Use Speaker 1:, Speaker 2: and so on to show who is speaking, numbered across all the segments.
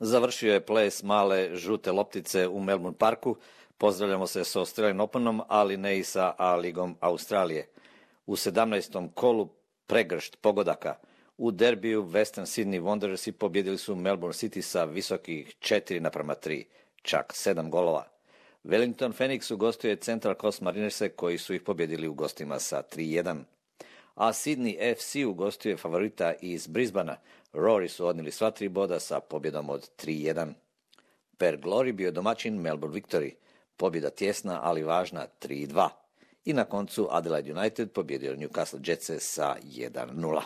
Speaker 1: Završio je ples male žute loptice u Melbourne Parku. Pozdravljamo se s Australian Openom, ali ne i sa A-ligom Australije. U 17. kolu pregršt pogodaka. U derbiju Western Sydney Wanderersi pobjedili su Melbourne City sa visokih 4:3, čak 7 golova. Wellington Phoenix ugostuje Central Coast Marinerse koji su ih pobjedili u gostima sa 3:1. A Sydney FC ugostuje favorita iz Brisbanea. Rory su odnijeli sva 3 boda sa pobjedom od 3:1. Per Glory bio domaćin Melbourne Victory. Pobjeda tjesna, ali važna 3:2. I na koncu Adelaide United pobjedio Newcastle Jetse sa 1:0.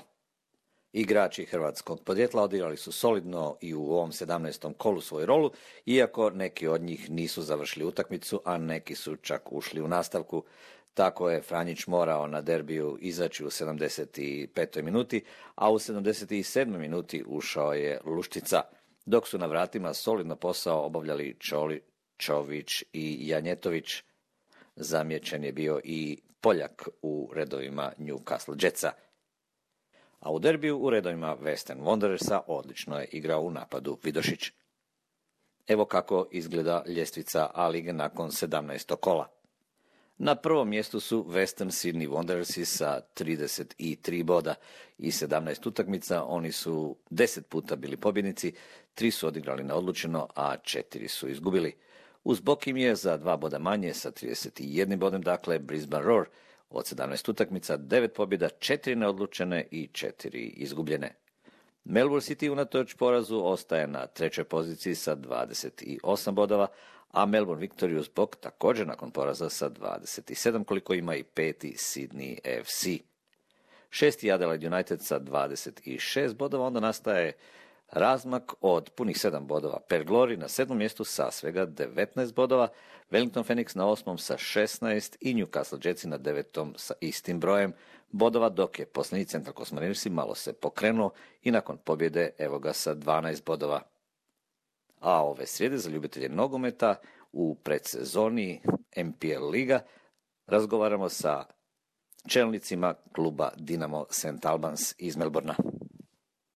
Speaker 1: Igrači hrvatskog podrijetla odigrali su solidno i u ovom 17. kolu svoju rolu, iako neki od njih nisu završili utakmicu, a neki su čak ušli u nastavku. Tako je Franjić morao na derbiju izaći u 75. minuti, a u 77. minuti ušao je Luštica, dok su na vratima solidno posao obavljali Čović i Janjetović. Zamijećen je bio i Poljak u redovima Newcastle Jetsa. A u derbiju u redovima Western Wanderersa odlično je igrao u napadu Vidošić. Evo kako izgleda ljestvica A-lige nakon 17. kola. Na prvom mjestu su Western Sydney Wanderersi sa 33 boda i 17 utakmica. Oni su 10 puta bili pobjednici, 3 su odigrali neodlučeno, a 4 su izgubili. Uz bok im je za 2 boda manje sa 31 bodem, dakle Brisbane Roar od 17 utakmica, 9 pobjeda, 4 neodlučene i 4 izgubljene. Melbourne City unatoč porazu ostaje na 3. poziciji sa 28 bodova, a Melbourne Victory uz bok također nakon poraza sa 27, koliko ima i 5. Sydney FC. 6. Adelaide United sa 26 bodova, onda nastaje razmak od punih 7 bodova. Per Glory na 7. mjestu sa svega 19 bodova, Wellington Phoenix na 8. sa 16 i Newcastle Jetsi na 9. sa istim brojem bodova, dok je posljednji Central Coast Marinersi malo se pokrenuo i nakon pobjede evo ga sa 12 bodova. A ove srijede za ljubitelje nogometa u predsezoni MPL liga razgovaramo sa čelnicima kluba Dinamo St. Albans iz Melbournea.